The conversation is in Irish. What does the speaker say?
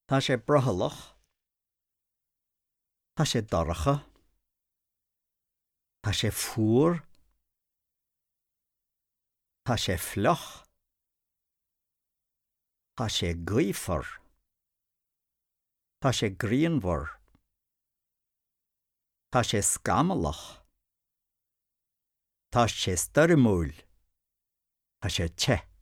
Tá sé brothallach. Tá sé dorcha. Tá sé fuar. Tá sé fliuch. Tá sé gaofar. Tá sé grianmhar. Tá sé scamallach. Tá sé stoirmiúil. Tá sé te.